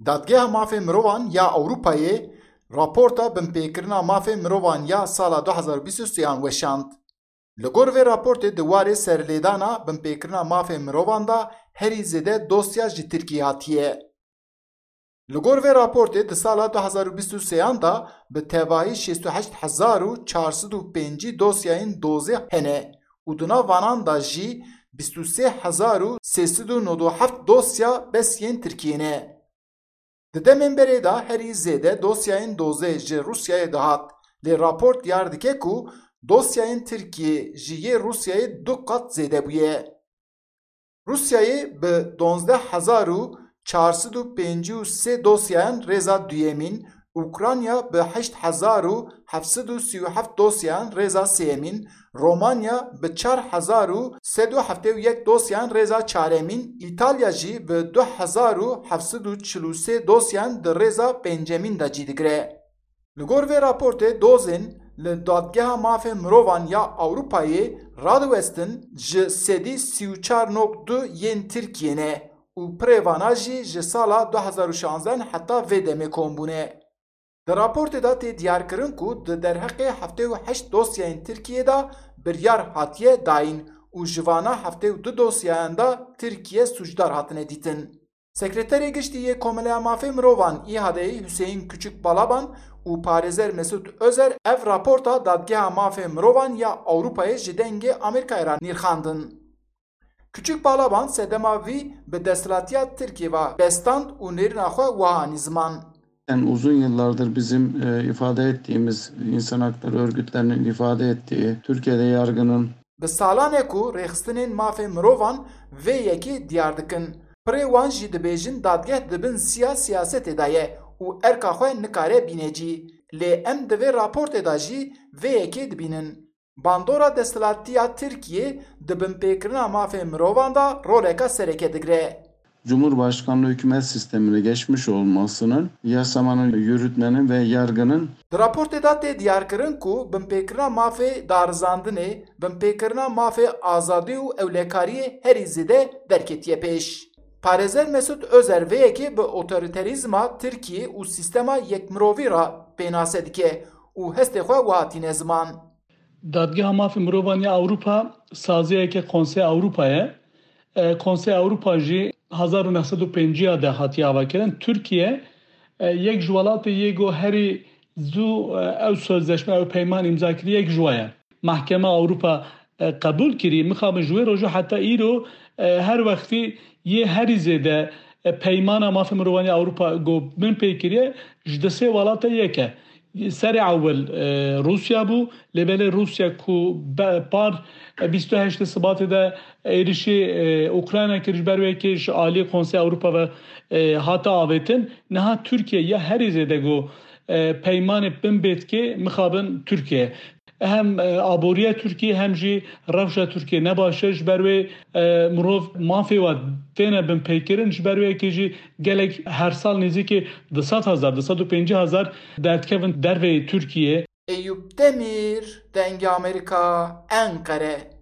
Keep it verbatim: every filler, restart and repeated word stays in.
Dadgeha Mafê Mirovan ya Ewropayê raporta binpêkirina mafê mirovan ya sala du hazar û bîst û sêyan weşand. Li gor vê raportê di warê serlêdana binpêkirina mafê mirovan de herî zêde dosya ji Tirkiyê hatiye. Li gor vê raportê di sala du hazar û bîst û sêyan de bi tevahî şêst û heşt hezar û çar sed û pêncî dosyayên dozê hene û di nav vanan de jî bîst û sê hezar û sê sed û nod û heft dosya bes yên Tirkiyê ne. Di demên berê de herî zêde dosyayên dozê ji Rûsyayê dihat, lê raport diyar dike ku dosyayên Tirkiyê ji yê Rûsyayê du qat zêde bûye. Rûsyayê bi duwazdeh hezar û çar sed û pêncî û sê dosyayan rêza duyemîn, Ukrayna bi heşt hezar û heft sed û sî û heft dosyayan rêza sêyemîn, Romanya bi çar hezar û sed û heftê û yek dosyayan rêza çaremîn, Îtalya jî bi du hezar û heft sed û çil û sê dosyayan di rêza pêncemîn de cî digire. Li gor vê raportê dozên li Dadgeha Mafê Mirovan ya Ewropayê radiwestin ji sedî sî û çar nokta du yên Tirkiyê ne û pirê vana jî ji sala du hezar û şanzdeh heta vê demê kom bûne. Di raportê de tê diyarkirin ku di derheqê heftê û heşt dosyayên Tirkiyê de biryar hatiye dayîn û ji vana heftê û du dosyayan de Tirkiye sûcdar hatine dîtin. Sekreterê Giştî yê Komeleya Mafê Mirovan, İHA'yê Hüseyin Küçük Balaban û parêzer Mesut Özer ev raporta Dadgeha Mafê Mirovan ya Ewropayê ji Dengê Amerîkayê re nirxandin. Küçük Balaban sedema vî bi desthilatiya Tirkiyê ve bestand û nêrîna xwe wiha anî ziman. Yani uzun yıllardır bizim e, ifade ettiğimiz insan hakları örgütlerinin ifade ettiği Türkiye'de yargının Bi salan e ku rêxistinên mafê mirovan vê yekê diyar dikin. Pirê wan jî dibêjin dadgeh di bin siya siyasetê de ye û erka xwe nikare bîne cî. Lê em di vê raportê de jî vê yekê dibînin. Bandora desthilatiya Tirkiyê di binpêkirina mafê mirovan de roleka sereke digire. Cumhurbaşkanlığı hükümet sistemine geçmiş olmasının, yasamanın, yürütmenin ve yargının Di raportê de tê diyarkirin ku binpêkirina mafê darizandinê, binpêkirina mafê azadî û ewlekariyê herî zêde derketiye pêş. Parêzer Mesut Özer vê yekê bi otorîterîzma Tirkiyê û sîstema yekmirovî re pênase dike û hestê xwe wiha tîne ziman. Dadgeha Mafê Mirovan ya Ewropa saziyeke Konsey Ewropa ye. E, Konsey Ewropa jî hezar û neh sed û pêncî de hatiye avakirin. Tirkiye e, yek ji welatê yê ku herî zû e, ew sözleşme, ew peyman îmza kiriye, yek ji we ye. Mahkeme Ewropa e, qebûl kirî, mixabin ji wê rojê heta îro e, her wextî yê herî zêde e, peymana mafê mirovan ya Ewropa ku binpê kiriye, ji di sê welata yek e. Serê ewil e, Rûsya bû, lê belê Rûsya ku be- par e, bîst û heştê Sibatê de êrişî e, Ukrayna kir, ji ber wê yekê ji alî Konsey Ewropa ve e, hate avêtin. Niha Tirkiye ya herî zêde ku e, peymanê binpê dike mixabin Tirkiye. Hem e, aboriya Tirkiye hem jî rewşa Tirkiye ne baş e, ji ber wê e, mirov mafê we têne binpêkirin, ji ber wê yekê jî gelek her sal nêzîkî du sed hezar, du sed û pêncî hezar derdikevin derveyê Tirkiye. Eyûp Demîr, Dengê Amerîka, Enqere.